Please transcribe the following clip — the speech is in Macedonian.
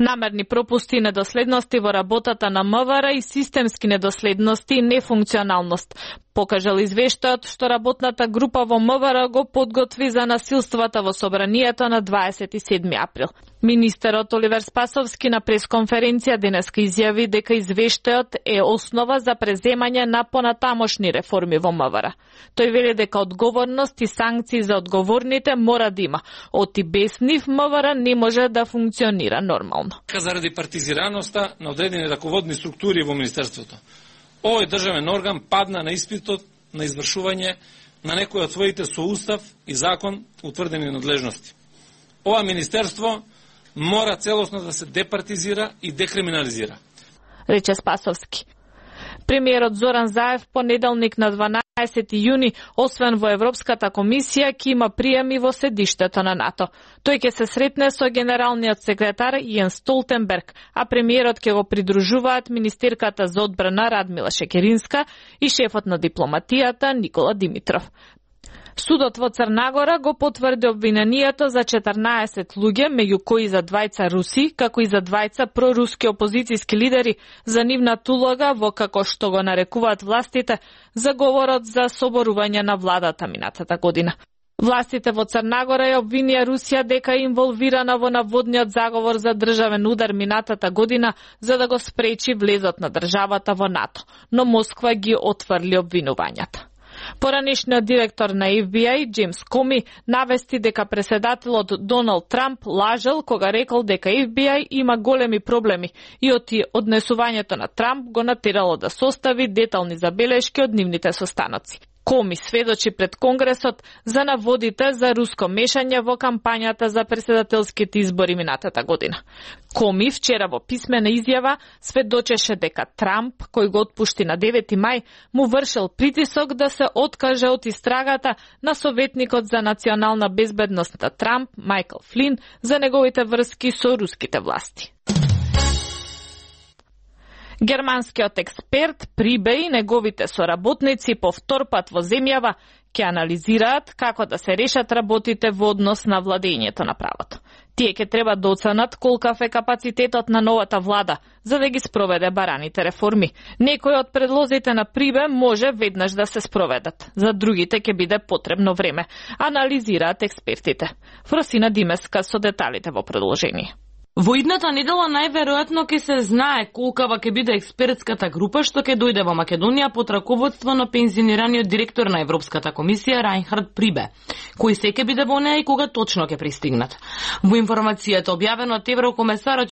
Намерни пропусти и недоследности во работата на МВР и системски недоследности и нефункционалност покажал извештајот што работната група во МВР го подготви за насилствата во собранието на 27 април. Министерот Оливер Спасовски на пресконференција денеска изјави дека извештајот е основа за преземање на понатамошни реформи во МВР. Тој вели дека одговорност и санкции за одговорните мора да има. Оти без нив МВР не може да функционира нормално. Заради партизираноста на одредени раководни структури во Министерството, овој државен орган падна на испитот на извршување на некои од своите со устав и закон утврдени надлежности. Ова министерство мора целосно да се департизира и декриминализира, рече Спасовски. Премиерот Зоран Заев понеделник на 12 јуни, освен во Европската комисија, ќе има приеми во седиштето на НАТО. Тој ќе се сретне со генералниот секретар Јенс Столтенберг, а премиерот ќе го придружуваат министерката за одбрана Радмила Шекеринска и шефот на дипломатијата Никола Димитров. Судот во Црна го потврди обвинението за 14 луѓе, меѓу кои за двајца руси, како и за двајца проруски опозицијски лидери, за нивната улога во, како што го нарекуваат властите, заговорот за соборување на владата минатата година. Властите во Црна Гора ја обвинија Русија дека е инволвирана во наводниот заговор за државен удар минатата година за да го спречи влезот на државата во НАТО, но Москва ги отфрли обвинувањата. Поранешниот директор на FBI, Джеймс Коми, навести дека преседателот Доналд Трамп лажел кога рекол дека FBI има големи проблеми и однесувањето на Трамп го натерало да состави детални забелешки од нивните состаноци. Коми сведочи пред Конгресот за наводите за руско мешање во кампањата за преседателските избори минатата година. Коми вчера во писмена изјава сведочеше дека Трамп, кој го отпушти на 9 мај, му вршил притисок да се откаже од истрагата на советникот за национална безбедност на Трамп, Майкл Флин, за неговите врски со руските власти. Германскиот експерт Прибе и неговите соработници по втор пат во земјава ќе анализираат како да се решат работите во однос на владењето на правото. Тие ќе треба да оценат колкав е капацитетот на новата влада за да ги спроведе бараните реформи. Некои од предлозите на Прибе може веднаш да се спроведат, за другите ќе биде потребно време, анализираат експертите. Фросина Димеска со деталите во продолжение. Во идната недела најверојатно ќе се знае колкава ќе биде експертската група што ќе дојде во Македонија под раководство на пензионираниот директор на Европската комисија Рајнхард Прибе, кој се ќе биде во неа и кога точно ќе пристигнат. Во информацијата објавена од еврокомесарот